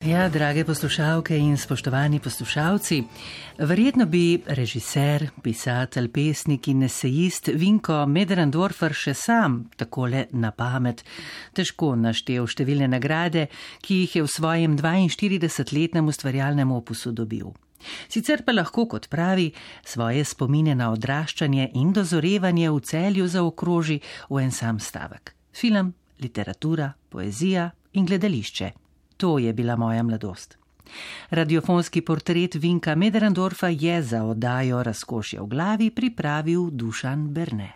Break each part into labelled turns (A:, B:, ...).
A: Ja, drage poslušalke in spoštovani poslušalci, verjetno bi režiser, pisatelj, pesnik in esejist Vinko Möderndorfer še sam takole na pamet težko naštel številne nagrade, ki jih je v svojem 42-letnem ustvarjalnem opusu dobil. Sicer pa lahko, kot pravi, svoje spomine na odraščanje in dozorevanje v Celju zaokroži v en sam stavek. Film, literatura, poezija in gledališče. To je bila moja mladost. Radiofonski portret Vinka Möderndorfa je za oddajo Razkošje v glavi pripravil Dušan Berne.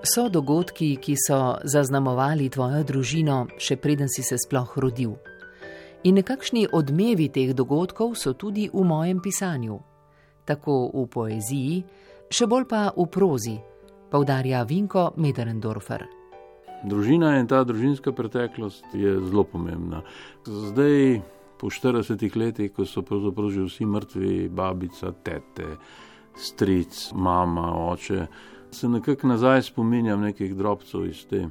A: So dogodki, ki so zaznamovali tvojo družino, še preden si se sploh rodil. In nekakšni odmevi teh dogodkov so tudi v mojem pisanju. Tako v poeziji, še bolj pa v prozi, poudarja Vinko Möderndorfer.
B: Družina in ta družinska preteklost je zelo pomembna. Zdaj, po 40 letih, ko so pravzaprav že vsi mrtvi, babica, tete, stric, mama, oče, se nekako nazaj spominjam nekih drobcev iz te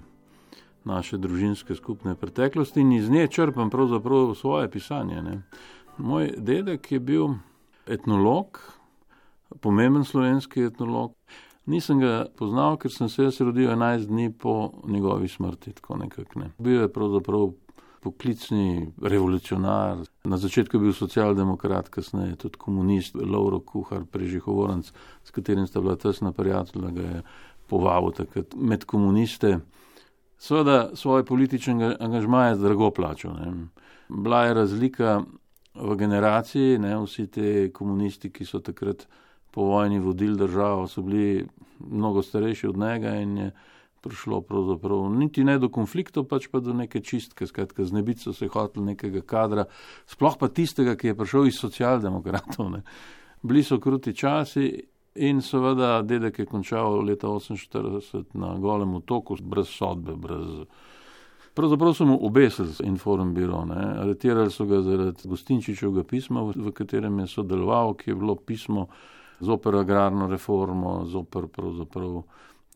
B: naše družinske skupne preteklosti in iz nje črpam pravzaprav svoje pisanje. Moj dedek je bil etnolog, pomemben slovenski etnolog. Nisem ga poznal, ker sem se rodil 11 dni po njegovi smrti, tako nekako. Bil je pravzaprav poklicni revolucionar. Na začetku je bil socialdemokrat, kasneje tudi komunist, Lovro Kuhar, Prežihovorenc, s katerim sta bila tesna prijatelja, ga je povabil takrat med komuniste. Seveda svoje politične angažmaje drago plačal. Bila je razlika v generaciji, vsi te komunisti, ki so takrat po vojni vodili državo, so bili mnogo starejši od njega in je prišlo pravzaprav niti ne do konfliktov, pač pa do neke čistke, skratka znebiti so se hoteli nekega kadra, sploh pa tistega, ki je prišel iz socialdemokratov. Bili so kruti časi. In seveda dedek je končal leta 1948 na Golem otoku, brez sodbe, Pravzaprav so mu obesili Informbiro, aretirali so ga zaradi Gostinčičevega pisma, v katerem je sodeloval, ki je bilo pismo zoper agrarno reformo, zoper pravzaprav.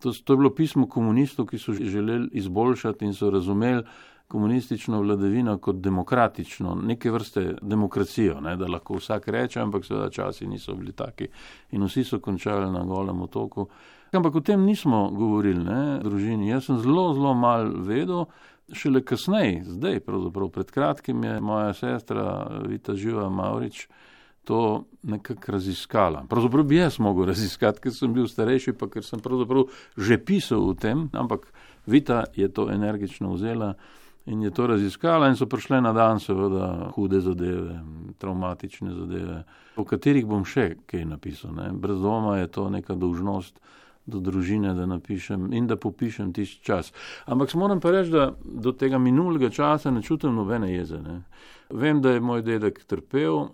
B: To je bilo pismo komunistov, ki so želeli izboljšati in so razumeli komunistično vladavino kot demokratično, neke vrste demokracijo, da lahko vsak reče, ampak seveda časi niso bili taki in vsi so končali na Golem otoku. Ampak o tem nismo govorili, družini. Jaz sem zelo malo vedel, šele kasneje, zdaj pravzaprav pred kratkim je moja sestra Vita Živa Mavrič to nekako raziskala. Pravzaprav bi jaz mogel raziskati, ker sem bil starejši, pa ker sem pravzaprav že pisal o tem, ampak Vita je to energično vzela in je to raziskala in so prišle na dan seveda hude zadeve, travmatične zadeve, o katerih bom še kaj napisal. Brez dvoma je to neka dolžnost do družine, da napišem in da popišem tisti čas. Ampak moram pa reči, da do tega minulega časa ne čutim nobene jeze. Vem, da je moj dedek trpel,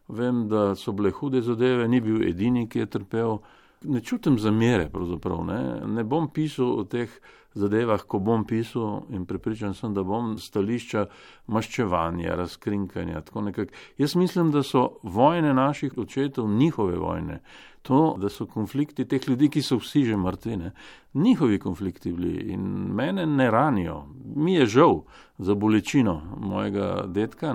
B: vem, da so bile hude zadeve, ni bil edini, ki je trpel. Ne čutim zamere pravzaprav. Ne bom pisal o teh zadevah, ko bom pisal in prepričan sem, da bom stališča maščevanja, razkrinkanja, tako nekako. Jaz mislim, da so vojne naših očetov njihove vojne. To, da so konflikti teh ljudi, ki so vsi že mrtvi, njihovi konflikti bili in mene ne ranijo. Mi je žal za bolečino mojega dedka,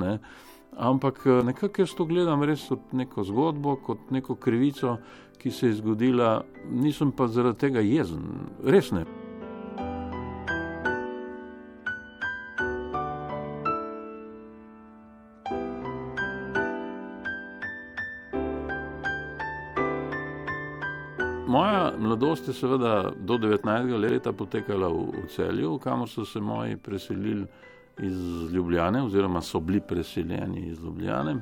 B: ampak nekako jaz to gledam res kot neko zgodbo, kot neko krivico, ki se je zgodila, nisem pa zaradi tega jezen, res ne. Moja mladost je seveda do 19. leta potekala v Celju, kamor so se moji preselili iz Ljubljane, oziroma so bili preseljeni iz Ljubljane.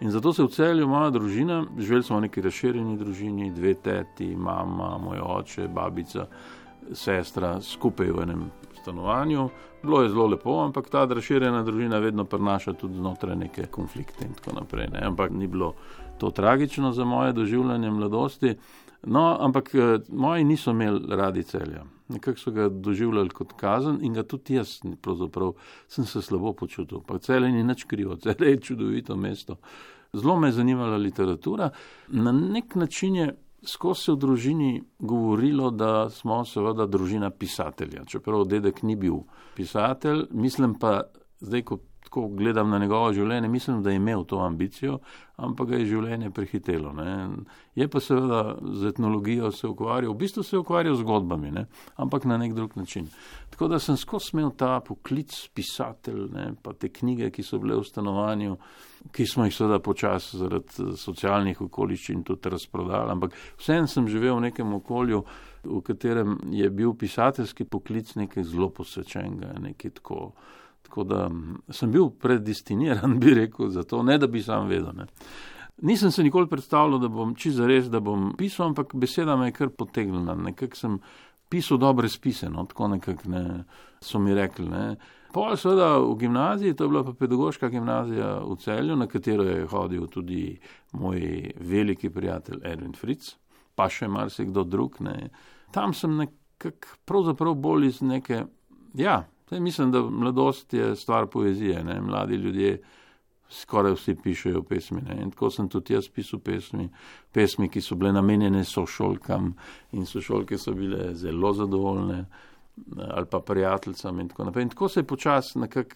B: In zato se v Celju moja družina, živeli smo v neki razširjeni družini, 2 teti, mama, moj oče, babica, sestra, skupaj v enem stanovanju. Bilo je zelo lepo, ampak ta razširjena družina vedno prinaša tudi znotraj neke konflikte in tako naprej. Ampak ni bilo to tragično za moje doživljanje mladosti. No, ampak moji niso imeli radi Celja. Nekako so ga doživljali kot kazen in ga tudi jaz, pravzaprav, sem se slabo počutil. Pa Celje ni nič krivo, Celje je čudovito mesto. Zelo me je zanimala literatura. Na nek način je skozi se v družini govorilo, da smo seveda družina pisatelja, čeprav dedek ni bil pisatelj, mislim pa, zdaj ko gledam na njegovo življenje, mislim, da je imel to ambicijo, ampak ga je življenje prehitelo. Ne. Je pa seveda z etnologijo se ukvarjal, v bistvu se je ukvarjal z zgodbami, ne, ampak na nek drug način. Tako da sem skozi imel ta poklic pisatelj, ne, pa te knjige, ki so bile v stanovanju, ki smo jih seveda počasi zaradi socialnih okoliščin tudi razprodali, ampak vseeno sem živel v nekem okolju, v katerem je bil pisateljski poklic nekaj zelo posvečenega, nekaj tako da sem bil predestiniran, bi rekel, za to, ne da bi sam vedel. Ne. Nisem se nikoli predstavljal, da bom čisto zares, da bom pisal, ampak beseda me je kar potegnila. Nekako sem pisal dobre spise, no, tako nekako ne, so mi rekli. Ne. Pol seveda v gimnaziji, to je bila pa pedagoška gimnazija v Celju, na katero je hodil tudi moj veliki prijatelj Erwin Fritz, pa še marsikdo drug. Ne. Tam sem nekako pravzaprav bolj iz neke, mislim, da mladost je stvar poezije, ne? Mladi ljudje skoraj vsi pišejo pesmi, ne? In tako sem tudi jaz pisal pesmi, ki so bile namenjene sošolkam in sošolke so bile zelo zadovoljne ali pa prijateljcam in tako naprej. In tako se je počasi nekako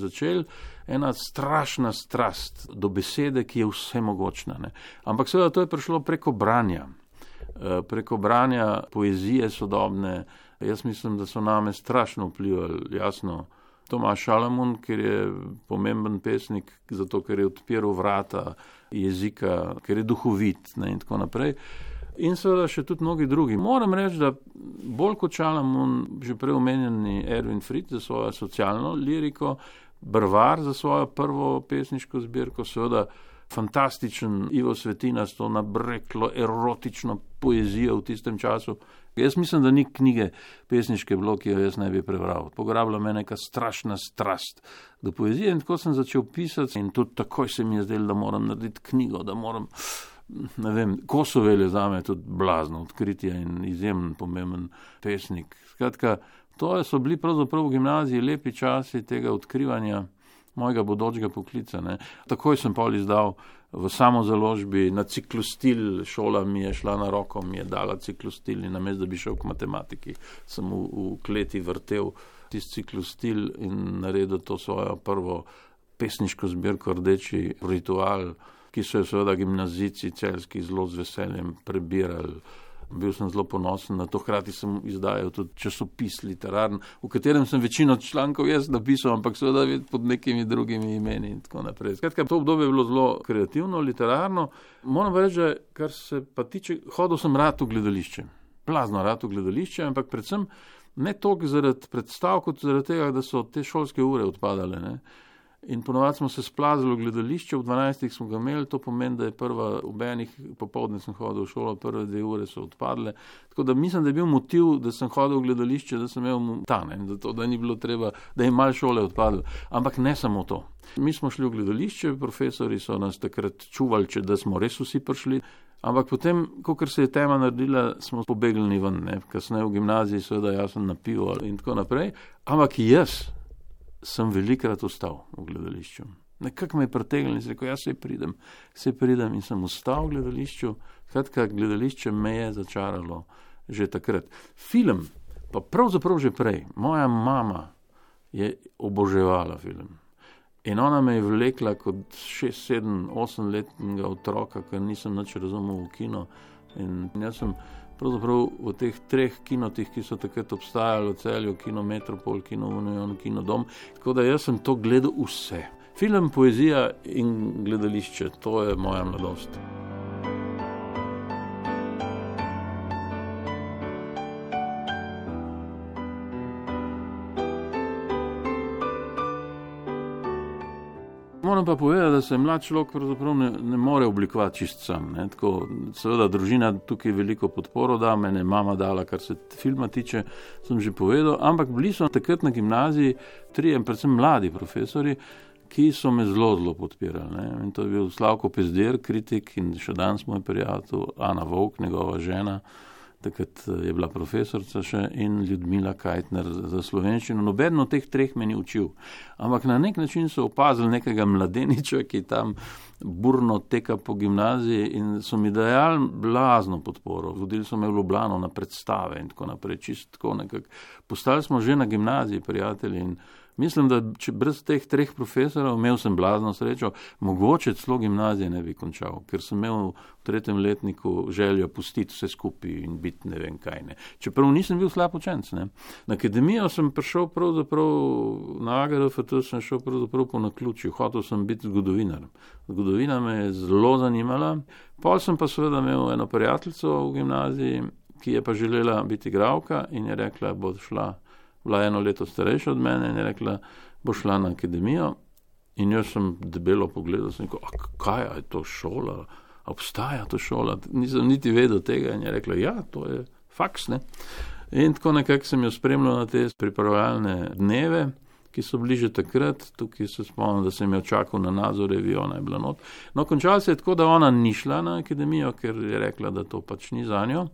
B: začel ena strašna strast do besede, ki je vse mogočna. Ne? Ampak seveda to je prišlo preko branja poezije sodobne. Jaz mislim, da so name strašno vplivali, jasno, Tomaž Šalamun, ker je pomemben pesnik, zato ker je odpiral vrata jezika, ker je duhovit, ne, in tako naprej. In seveda še tudi mnogi drugi. Moram reči, da bolj kot Šalamun, že prej omenjeni Erwin Fritz za svojo socialno liriko, Brvar za svojo prvo pesniško zbirko, seveda fantastičen Ivo Svetina s to nabreklo erotično poezijo v tistem času. Jaz mislim, da ni knjige pesniške bilo, ki jo jaz ne bi prebral. Pograbila me neka strašna strast do poezije in tako sem začel pisati in tudi takoj se mi je zdelo, da moram narediti knjigo, da moram, ne vem, Kosovel je zame tudi blazno odkritje in izjemen pomemben pesnik. Skratka, to so bili pravzaprav v gimnaziji lepi časi tega odkrivanja mojega bodočega poklica. Ne. Takoj sem pol izdal v samozaložbi na ciklostil, šola mi je šla na roko, mi je dala ciklostil in namesto, da bi šel k matematiki, sem v kleti vrtel tisti ciklostil in naredil to svojo prvo pesniško zbirko Rdeči ritual, ki so jo seveda gimnazijci celjski zelo z veseljem prebirali. Bil sem zelo ponosen na to, hkrati sem izdajal tudi časopis literarn, v katerem sem večino člankov jaz napisal, ampak seveda pod nekimi drugimi imeni in tako naprej. Skratka, to obdobje je bilo zelo kreativno, literarno. Moram pa reči, kar se pa tiče, hodil sem rad v gledališče. Blazno rad v gledališče, ampak predvsem ne toliko zaradi predstav, kot zaradi tega, da so te šolske ure odpadale, ne. In ponovadi smo se splazili v gledališče, v 12 smo ga imeli, to pomeni, da je ob enih popoldne sem hodil v šolo, prve 2 ure so odpadle. Tako da mislim, da je bil motiv, da sem hodil v gledališče, da sem imel zato da ni bilo treba, da je malo šole odpadle. Ampak ne samo to. Mi smo šli v gledališče, profesori so nas takrat čuvali, da smo res vsi prišli. Ampak potem, kakor se je tema naredila, smo pobegli ven, ne. Kasneje v gimnaziji, seveda jaz sem na pivo in tako naprej. Ampak jaz sem velikrat ostal v gledališču. Nekako me je pritegnil in rekel, jaz se pridem in sem ostal v gledališču. Skratka, gledališče me je začaralo že takrat. Film, pa pravzaprav že prej. Moja mama je oboževala film. In ona me je vlekla kot 6, 7, 8 letnega otroka, ker nisem nič razumel v kino. In jaz sem pravzaprav v teh 3 kinotih, ki so takrat obstajali v Celju, Kino Metropol, Kino Union, Kino Dom, tako da jaz sem to gledal vse. Film, poezija in gledališče, to je moja mladost. Moram pa povedati, da se mlad človek pravzaprav ne more oblikovati čist sam. Ne. Tako, seveda družina tukaj veliko podporo da, mene mama dala, kar se filma tiče, sem že povedal, ampak bili so takrat na gimnaziji 3, predvsem mladi profesori, ki so me zelo podpirali. Ne. In to je bil Slavko Pezdir, kritik in še danes moj prijatelj, Ana Vovk, njegova žena, takrat je bila profesorica še, in Ljudmila Kajtner za slovenščino. Nobeden od teh treh me ni učil. Ampak na nek način so opazili nekega mladeniča, ki tam burno teka po gimnaziji, in so mi dajali blazno podporo. Vodili so me v Ljubljano na predstave in tako naprej, čisto tako nekako. Postali smo že na gimnaziji prijatelji in mislim, da če brez teh treh profesorov, imel sem blazno srečo, mogoče celo gimnazije ne bi končal, ker sem imel v 3. letniku željo pustiti vse skupaj in biti ne vem kaj ne. Čeprav nisem bil slab učenec, ne. Na akademijo sem prišel pravzaprav, na AGRFT sem šel pravzaprav po naključju, hotel sem biti zgodovinar. Zgodovina me je zelo zanimala, pol sem pa seveda imel eno prijateljico v gimnaziji, ki je pa želela biti igralka in je rekla, bo šla, bila 1 leto starejša od mene in je rekla, bo šla na akademijo. In jaz sem debelo pogledal, sem rekel, kaj je to šola, obstaja to šola, nisem niti vedel tega in je rekla, ja, to je faks, ne. In tako nekako sem jo spremljal na te pripravljalne dneve, ki so bili že takrat, tukaj se spomnim, da sem jo čakal na Nazorevi, ona je bila not. No, končalo se je tako, da ona ni šla na akademijo, ker je rekla, da to pač ni zanjo.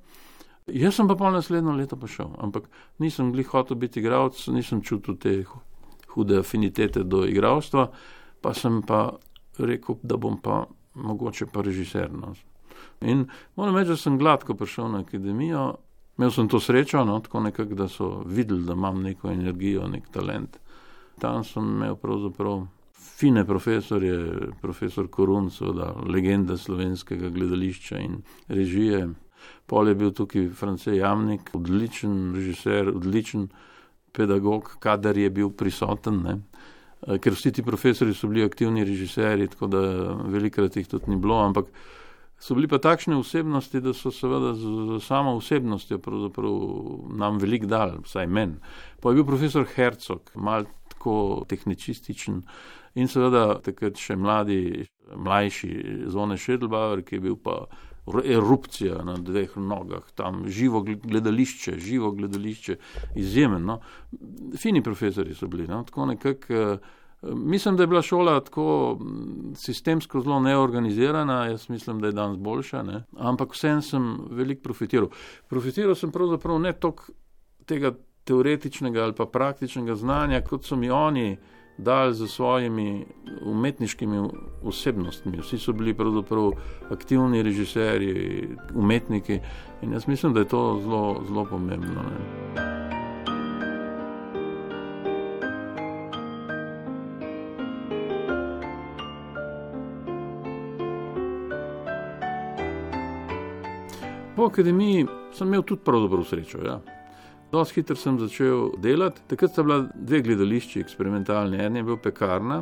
B: Jaz sem pa pol naslednjo leto pa šel, ampak nisem glih hotel biti igralec, nisem čutil te hude afinitete do igralstva, pa sem pa rekel, da bom pa mogoče pa režiser. No. In moram reči, da sem gladko prišel na akademijo, imel sem to srečo, no, tako nekako, da so videli, da imam neko energijo, nek talent. Tam sem imel pravzaprav fine profesorje, profesor Korun, seveda legenda slovenskega gledališča in režije. Pol je bil tukaj France Jamnik, odličen režiser, odličen pedagog, kadar je bil prisoten, ne. Ker vsi ti profesori so bili aktivni režiserji, tako da velikrat jih tudi ni bilo, ampak so bili pa takšne osebnosti, da so seveda z samo osebnostjo pravzaprav nam veliko dali, vsaj meni. Pa je bil profesor Hercog, malo tako tehnicističen in seveda takrat še mlajši Zvone Schädelbauer, ki je bil pa erupcija na 2 nogah, tam živo gledališče, izjemen, no. Fini profesori so bili, no, tako nekako, mislim, da je bila šola tako sistemsko zelo neorganizirana, jaz mislim, da je danes boljša, ne, ampak vsem sem veliko profitiral. Profitiral sem pravzaprav ne toliko tega teoretičnega ali pa praktičnega znanja, kot so mi oni dali za svojimi umetniškimi osebnostmi. Vsi so bili pravzaprav aktivni režiserji, umetniki in jaz mislim, da je to zelo, zelo pomembno. Ne. Po akademiji sem imel tudi pravzaprav srečo, ja. Dosti hitro sem začel delati. Takrat sta bila 2 gledališči eksperimentalni. En je bil Pekarna,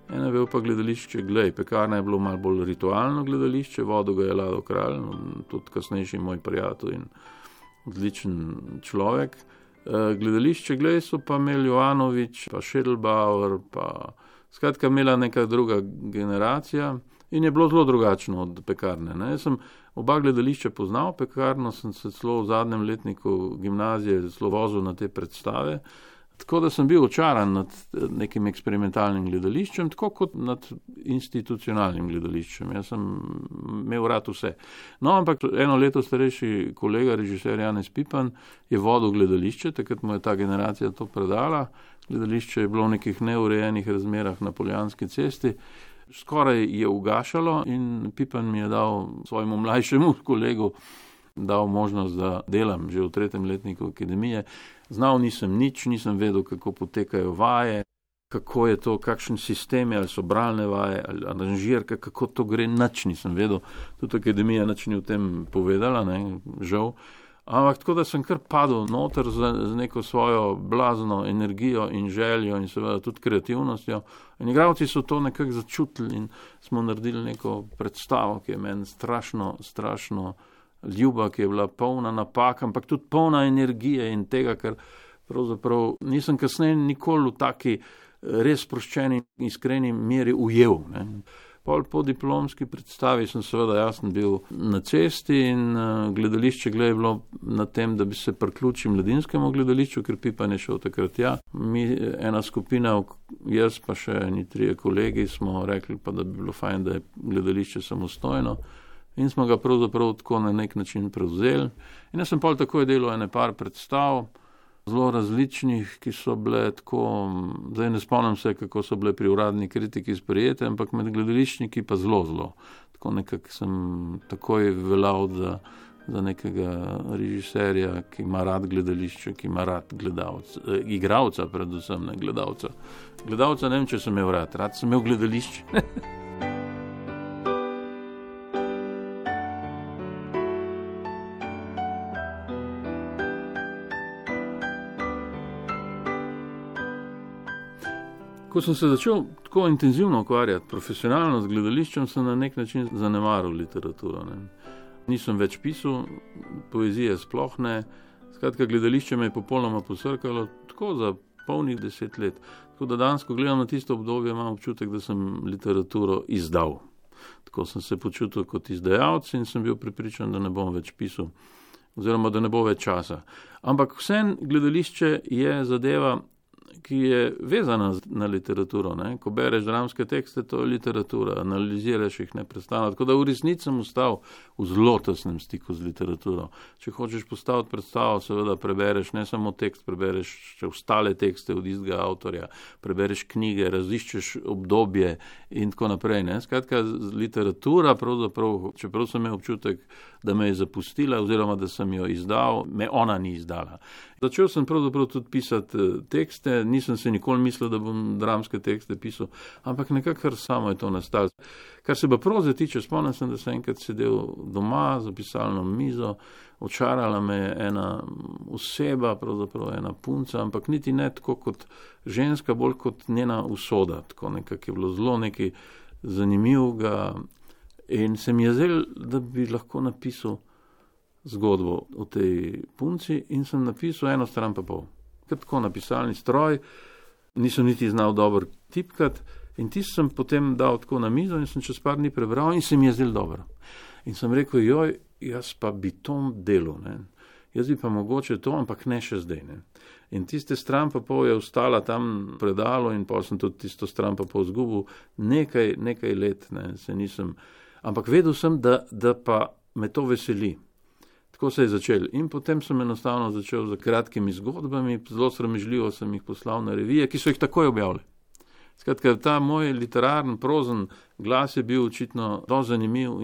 B: en je bil pa gledališče Glej. Pekarna je bilo malo bolj ritualno gledališče, vodil ga je Lado Kralj, tudi kasnejši moj prijatelj in odličen človek. Gledališče Glej so pa imeli Jovanovič, pa Schädelbauer, pa skratka imela neka druga generacija in je bilo zelo drugačno od Pekarne. Ne. Jaz sem oba gledališča poznal, Pekarno sem se celo v zadnjem letniku gimnazije zelo vozil na te predstave, tako da sem bil očaran nad nekim eksperimentalnim gledališčem, tako kot nad institucionalnim gledališčem. Jaz sem imel rad vse. No, ampak 1 leto starejši kolega, režiser Janez Pipan, je vodil gledališče, takrat mu je ta generacija to predala. Gledališče je bilo v nekih neurejenih razmerah na Poljanski cesti, skoraj je ugašalo in Pipan mi je dal svojemu mlajšemu kolegu dal možnost, da delam že v 3. letniku akademije. Znal nisem nič, nisem vedel, kako potekajo vaje, kako je to, kakšen sistem je, ali so bralne vaje, ali aranžirka, kako to gre, nič nisem vedel. Tudi akademija nič ni v tem povedala, ne, žal. Ampak tako, da sem kar padel noter z neko svojo blazno energijo in željo in seveda tudi kreativnostjo. In igralci so to nekako začutili in smo naredili neko predstavo, ki je meni strašno ljuba, ki je bila polna napak, ampak tudi polna energije in tega, ker pravzaprav nisem kasneje nikoli v taki res sproščeni in iskreni meri ujel, ne. Po diplomski predstavi sem seveda jasno bil na cesti in gledališče Glej je bilo na tem, da bi se priključil mladinskemu gledališču, ker Pipan je šel takrat ja. Mi, ena skupina, jaz pa še eni 3 kolegi, smo rekli pa, da bi bilo fajn, da je gledališče samostojno. in smo ga pravzaprav tako na nek način prevzeli. In jaz sem pol takoj delal ene par predstav, zelo različnih, ki so bile tako, zdaj ne spomnim se, kako so bile pri uradni kritiki sprejete, ampak med gledališčniki pa zelo. Tako nekako sem takoj veljal za nekega režiserja, ki ima rad gledališče, ki ima rad igralca, predvsem ne gledalca. Gledalca ne vem, če sem imel rad sem imel gledališče. Ko sem se začel tako intenzivno ukvarjati profesionalno z gledališčem, sem na nek način zanemaril literaturo. Ne. Nisem več pisal, poezije sploh ne. Skratka, gledališče me je popolnoma posrkalo, tako za polnih 10 let. Tako da danes, ko gledam na tisto obdobje, imam občutek, da sem literaturo izdal. Tako sem se počutil kot izdajalec in sem bil prepričan, da ne bom več pisal, oziroma da ne bo več časa. Ampak vseeno gledališče je zadeva, ki je vezana na literaturo. Ne? Ko bereš dramske tekste, to je literatura, analiziraš jih neprestano. Tako da v resnici sem ostal v zelo tesnem stiku z literaturo. Če hočeš postaviti predstavo, seveda prebereš ne samo tekst, prebereš še ostale tekste od istega avtorja, prebereš knjige, raziščeš obdobje in tako naprej. Ne? Skratka, literatura, pravzaprav, čeprav sem imel občutek, da me je zapustila oziroma da sem jo izdal, me ona ni izdala. Začel sem pravzaprav tudi pisati tekste, nisem se nikoli mislil, da bom dramske tekste pisal, ampak nekako samo je to nastalo. Kar se pa proze tiče, spomnim sem, da sem enkrat sedel doma za pisalno mizo, očarala me je ena oseba, pravzaprav ena punca, ampak niti ne tako kot ženska, bolj kot njena usoda, tako nekako je bilo zelo nekaj zanimivega in se mi je zdelo, da bi lahko napisal zgodbo o tej punci in sem napisal 1 stran pa pol. Ker tako na pisalni stroj, nisem niti znal dobro tipkati in tisto sem potem dal tako na mizo in sem čez par dni prebral in se mi je zdelo dobro. In sem rekel, jaz pa bi to delal, ne. Jaz bi pa mogoče to, ampak ne še zdaj, ne. In tiste stran pa pol je ostala tam predalo in pa sem tudi tisto stran pa pol zgubil nekaj let, ne, se nisem, ampak vedel sem, da pa me to veseli. Tako se je začel. In potem sem enostavno začel z kratkimi zgodbami, zelo sramežljivo sem jih poslal na revije, ki so jih takoj objavili. Skratka, ta moj literarni, prozen glas je bil očitno dosti zanimiv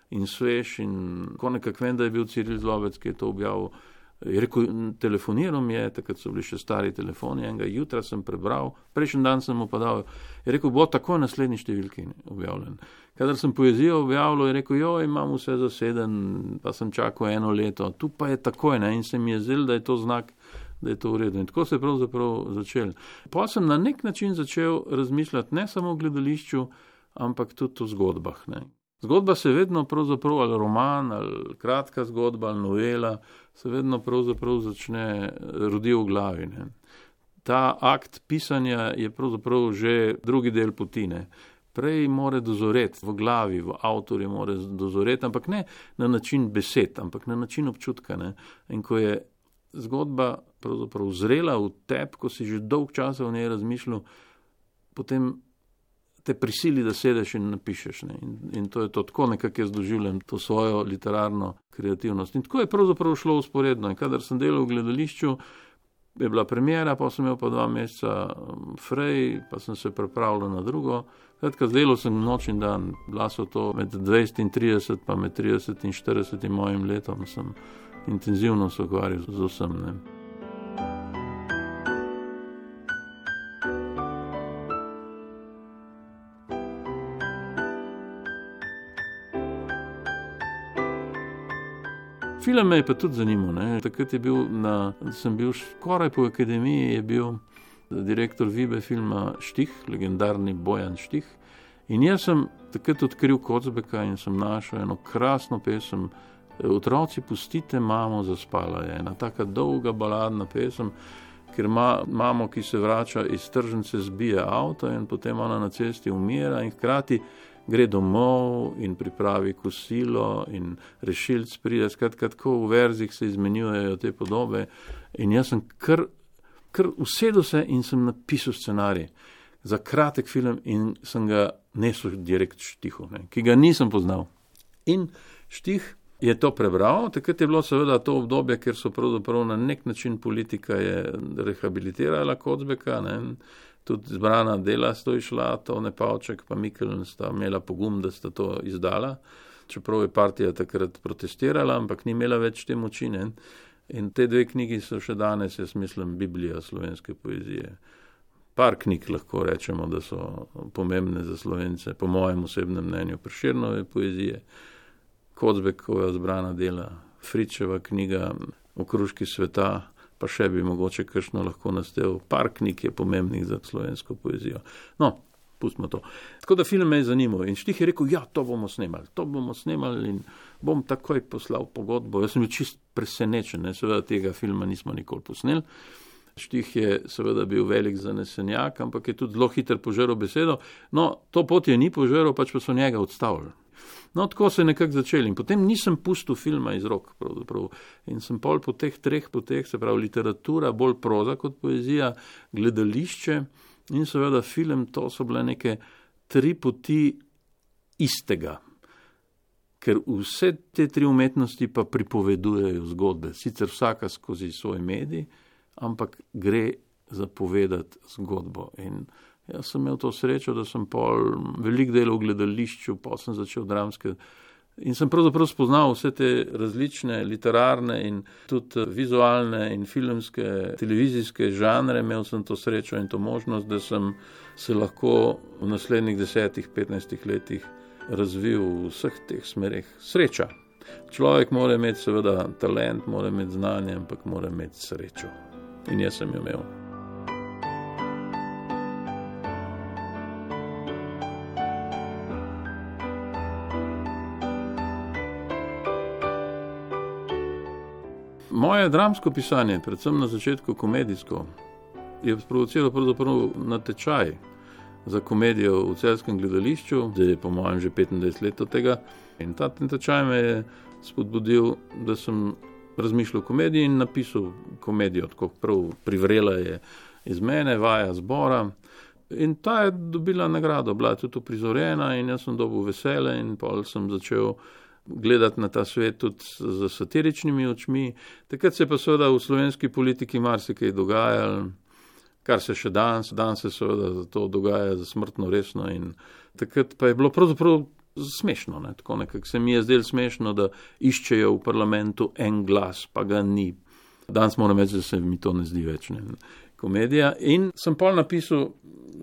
B: in svež in ko nekako vem, da je bil Ciril Zlobec, ki je to objavil. Je rekel, telefoniral mi je, takrat so bili še stari telefoni, enega jutra sem prebral, prejšnji dan sem mu pa dal, je rekel, bo takoj naslednji številki objavljen. Kadar sem poezijo objavljal, je rekel, imam vse zaseden, pa sem čakal 1 leto, tu pa je takoj, ne, in se mi je zdelo, da je to znak, da je to v redu. In tako se je pravzaprav začel. Pa sem na nek način začel razmišljati ne samo o gledališču, ampak tudi o zgodbah, ne. Zgodba se vedno pravzaprav, ali roman, ali kratka zgodba, ali novela, se vedno pravzaprav rodi v glavi, ne. Ta akt pisanja je pravzaprav že drugi del poti, ne. Prej mora dozoreti v glavi, v avtorju mora dozoreti, ampak ne na način besed, ampak na način občutka, ne. In ko je zgodba pravzaprav zrela v tebi, ko si že dolg časa v njej razmišljal, potem te prisili, da sedeš in napišeš. Ne. In to je to, tako nekako jaz doživljam to svojo literarno kreativnost. In tako je pravzaprav šlo usporedno. In kadar sem delal v gledališču, je bila premiera, pa sem imel pa 2 meseca frej, pa sem se pripravljal na drugo. Skratka, delal sem noč in dan. Bila so to med 20 in 30, pa med 30 in 40 mojim letom sem intenzivno se ukvarjal z vsem, ne. Film me je pa tudi zanimal, ne. Takrat sem bil skoraj po akademiji, je bil direktor Vibe filma Štih, legendarni Bojan Štih. In jaz sem takrat odkril Kocbeka in sem našel eno krasno pesem Otroci, pustite mamo, zaspala je. Ena taka dolga baladna pesem, ker mamo, ki se vrača iz tržnice, zbije avto in potem ona na cesti umira in hkrati gre domov in pripravi kosilo in rešilc pride. Skratka, tako v verzih se izmenjujejo te podobe in jaz sem kar usedel se in sem napisal scenarij za kratek film in sem ga nesel direkt Štihu, ne, ki ga nisem poznal. In Štih je to prebral, takrat je bilo seveda to obdobje, ker so pravzaprav na nek način politika je rehabilitirala Kocbeka, ne? Tudi zbrana dela sta išla, Tone Pavček pa Mikeln sta imela pogum, da sta to izdala, čeprav je partija takrat protestirala, ampak ni imela več te moči, ne? In te dve knjigi so še danes, jaz mislim, Biblija slovenske poezije. Par knjig lahko rečemo, da so pomembne za Slovence, po mojem osebnem mnenju, Prešernove poezije, Kocbekova zbrana dela, Fričeva knjiga Okruški sveta, pa še bi mogoče kakšno lahko nastel. Par knjig je pomembnih za slovensko poezijo. No, pustimo to. Tako da film me je zanimal in Štih je rekel, ja, to bomo snemali in bom takoj poslal pogodbo. Jaz sem bil čist presenečen, ne? Seveda tega filma nismo nikoli posneli. Štih je seveda bil velik zanesenjak, ampak je tudi zelo hiter požeral besedo. No, to pot je ni požeral, pač pa so njega odstavili. No, tako se je nekako začeli in potem nisem pustil filma iz rok, pravzaprav. In sem pol po teh 3 poteh, se pravi literatura, bolj proza kot poezija, gledališče in seveda film, to so bile neke 3 poti istega. Ker vse te 3 umetnosti pa pripovedujejo zgodbe, sicer vsaka skozi svoj medij, ampak gre zapovedati zgodbo. In jaz sem imel to srečo, da sem pol veliko delal v gledališču, pa sem začel dramske in sem pravzaprav spoznal vse te različne literarne in tudi vizualne in filmske, televizijske žanre. Imel sem to srečo in to možnost, da sem se lahko v naslednjih 10-15 letih razvil v vseh teh smereh. Sreča. Človek mora imeti seveda talent, mora imeti znanje, ampak mora imeti srečo. In jaz sem jo imel. Moje dramsko pisanje, predvsem na začetku komedijsko, je sprovociral pravzaprav natečaj za komedijo v Celjskem gledališču, zdaj je po mojem že 25 let od tega. In ta natečaj me je spodbudil, da sem razmišljal o komediji in napisal komedijo, tako prav privrela je iz mene, vaja zbora. In ta je dobila nagrado, bila je tudi uprizorjena in jaz sem dobil vesele in pol sem začel gledati na ta svet tudi z satiričnimi očmi. Takrat se je pa seveda v slovenski politiki marsikaj dogajalo, kar se še danes se seveda to dogaja za smrtno resno in takrat pa je bilo pravzaprav smešno, ne? Tako nekako se mi je zdelo smešno, da iščejo v parlamentu en glas, pa ga ni. Danes moram reči, da se mi to ne zdi več, ne? Komedija. In sem pol napisal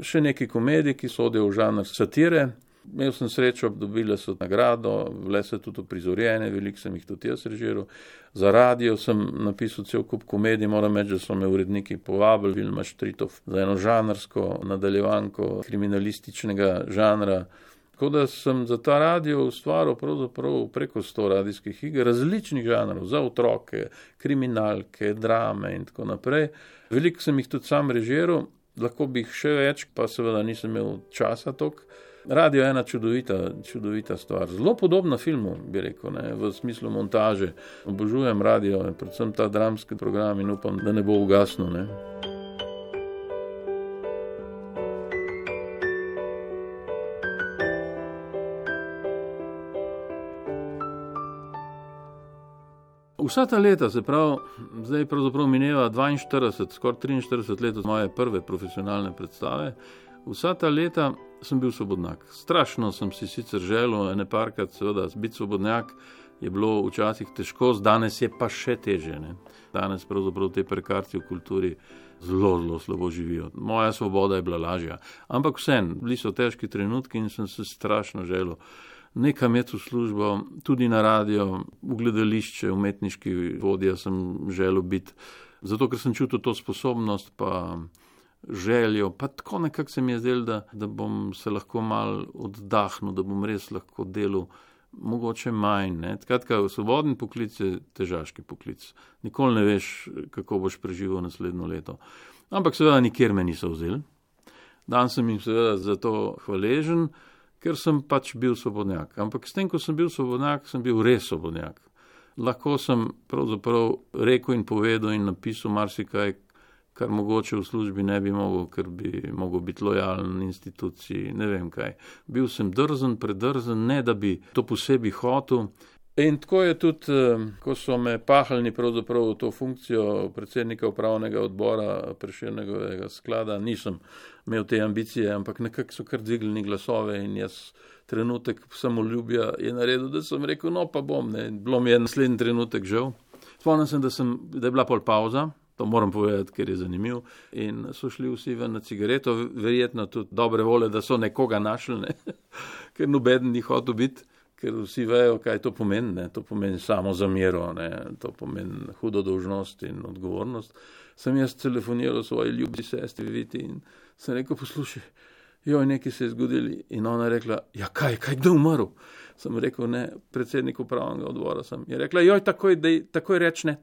B: še nekaj komedij, ki sodijo v žanr satire. Imel sem srečo, dobile so nagrado, bile so tudi uprizorjene, veliko sem jih tudi jaz režiral. Za radio sem napisal cel kup komedij, moram reči, da so me uredniki povabili, Vilma Štritov, za eno žanrsko nadaljevanko kriminalističnega žanra. Tako da sem za ta radio ustvaril pravzaprav preko 100 radijskih iger, različnih žanrov, za otroke, kriminalke, drame in tako naprej. Veliko sem jih tudi sam režiral, lahko bi jih še več, pa seveda nisem imel časa toliko. Radio je ena čudovita stvar. Zelo podobna filmu, bi rekel, ne, v smislu montaže. Obožujem radio, predvsem ta dramski program in upam, da ne bo ugasnil, ne. Vsa ta leta, se pravi, zdaj pravzaprav mineva 42, skoraj 43 let od moje prve profesionalne predstave, vsa ta leta sem bil svobodnjak. Strašno sem si sicer želel ene parkrat, seveda, biti svobodnjak je bilo včasih težko, danes je pa še težje, ne. Danes pravzaprav te prekarci v kulturi zelo slabo živijo. Moja svoboda je bila lažja. Ampak vseeno, bili so težki trenutki in sem se strašno želel nekam imeti v službo, tudi na radio, v gledališče, umetniški vodja sem želel biti, zato ker sem čutil to sposobnost, pa željo, pa tako nekako se mi je zdelo, da bom se lahko mal oddahnil, da bom res lahko delal mogoče manj, ne. Skratka, svobodni poklic je težaški poklic. Nikoli ne veš, kako boš preživel naslednjo leto. Ampak seveda nikjer me niso vzeli. Danes sem jim seveda za to hvaležen, ker sem pač bil svobodnjak. Ampak s tem, ko sem bil svobodnjak, sem bil res svobodnjak. Lahko sem pravzaprav rekel in povedal in napisal marsikaj, kar mogoče v službi ne bi mogel, ker bi mogel biti lojalen instituciji, ne vem kaj. Bil sem drzen, predrzen, ne da bi to posebej hotel. In tako je tudi, ko so me pahalni pravzaprav v to funkcijo predsednika upravnega odbora Prešernovega sklada, nisem imel te ambicije, ampak nekako so kar dvignili glasove in jaz trenutek samoljubja je naredil, da sem rekel, no pa bom, ne. Bilo mi je naslednji trenutek žal. Spomnim sem, da je bila pol pauza, to moram povedati, ker je zanimiv, in so šli vsi ven na cigareto, verjetno tudi dobre vole, da so nekoga našli, ne? Ker nobeden ni hotel biti, ker vsi vejo, kaj to pomeni, ne? To pomeni samo zamero, ne? To pomeni hudo dolžnost in odgovornost. Sem jaz telefoniral svoji ljubi sestri Viti in sem rekel, poslušaj, joj, nekaj se je zgodili, in ona je rekla, ja kaj, kdo je umrl? Sem rekel, ne, predsednik upravnega odbora sem. Je rekla, joj, takoj reč ne.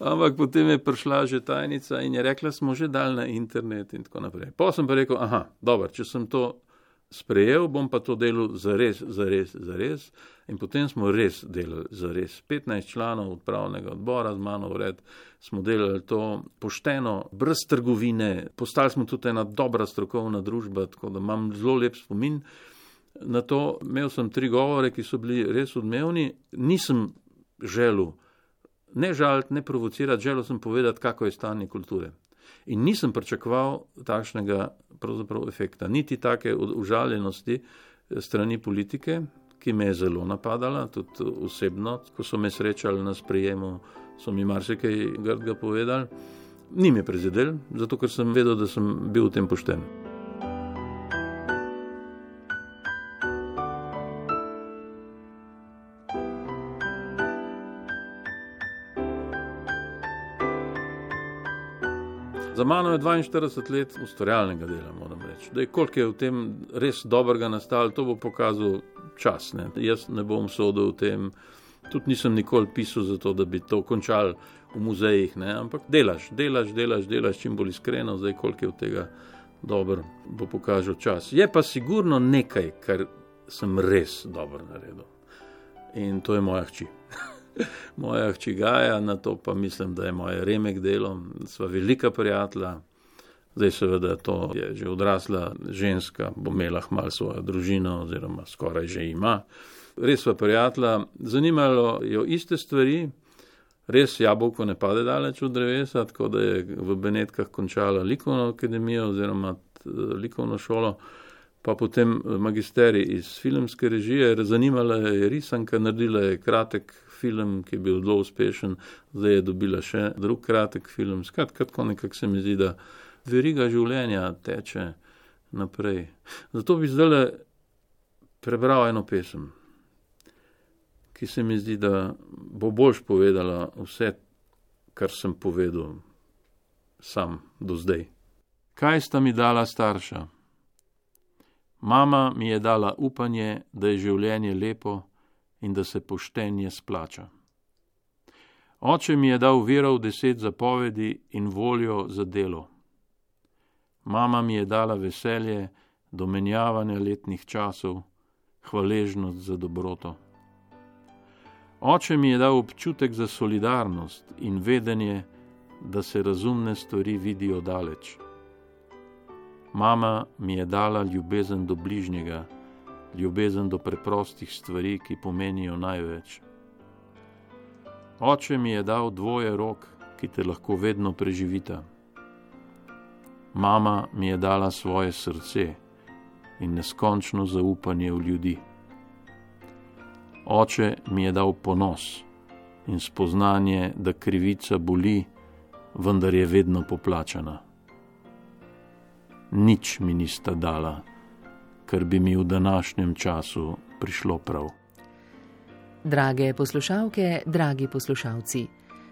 B: Ampak potem je prišla že tajnica in je rekla, smo že dali na internet in tako naprej. Pa sem pa rekel, dobro, če sem to sprejel, bom pa to delal zares. In potem smo res delali zares. 15 članov upravnega odbora z mano vred smo delali to pošteno, brez trgovine. Postali smo tudi ena dobra strokovna družba, tako da imam zelo lep spomin. Na to imel sem 3 govore, ki so bili res odmevni. Nisem želel ne žaliti, ne provocirati, želel sem povedati, kako je stanje kulture. In nisem pričakoval takšnega pravzaprav efekta, niti take užaljenosti strani politike, ki me je zelo napadala, tudi osebno, ko so me srečali na sprejemu, so mi marsikaj grdega povedali. Ni me prizadel, zato ker sem vedel, da sem bil v tem pošten. Za mano je 42 let ustvarjalnega dela, moram reči. Koliko je v tem res dobrega nastalo, to bo pokazal čas. Ne? Jaz ne bom sodil v tem, tudi nisem nikoli pisal za to, da bi to končal v muzejih, ne? Ampak delaš čim bolj iskreno, zdaj koliko je od tega dobro, bo pokazal čas. Je pa sigurno nekaj, kar sem res dobro naredil. In to je moja hči. Moja hči Gaja, na to pa mislim, da je moja Remek delo, sva velika prijatelja, zdaj seveda to je že odrasla ženska, bo imela malo svojo družino oziroma skoraj že ima. Res sva prijatelja, zanimalo jo iste stvari, res jabolko ne pade daleč od drevesa, tako da je v Benetkah končala likovno akademijo oziroma likovno šolo, pa potem magisterij iz filmske režije, zanimala je risanka, naredila je kratek film, ki je bil zelo uspešen, zdaj je dobila še drug kratek film. Skratka, nekako se mi zdi, da veriga življenja teče naprej. Zato bi zdaj prebral eno pesem, ki se mi zdi, da bo boljš povedala vse, kar sem povedal sam do zdaj. Kaj sta mi dala starša? Mama mi je dala upanje, da je življenje lepo in da se poštenje splača. Oče mi je dal vero v 10 zapovedi in voljo za delo. Mama mi je dala veselje do menjavanja letnih časov, hvaležnost za dobroto. Oče mi je dal občutek za solidarnost in vedenje, da se razumne stvari vidijo daleč. Mama mi je dala ljubezen do bližnjega, ljubezen do preprostih stvari, ki pomenijo največ. Oče mi je dal 2 rok, ki te lahko vedno preživita. Mama mi je dala svoje srce in neskončno zaupanje v ljudi. Oče mi je dal ponos in spoznanje, da krivica boli, vendar je vedno poplačana. Nič mi nista dala, kar bi mi v današnjem času prišlo prav.
A: Drage poslušalke, dragi poslušalci,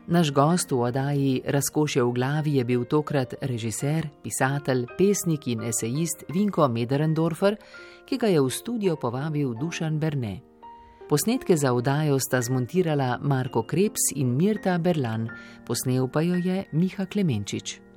A: naš gost v oddaji Razkošje v glavi je bil tokrat režiser, pisatelj, pesnik in esejist Vinko Möderndorfer, ki ga je v studio povabil Dušan Berne. Posnetke za oddajo sta zmontirala Marko Krebs in Mirta Berlan, posnel pa jo je Miha Klemenčič.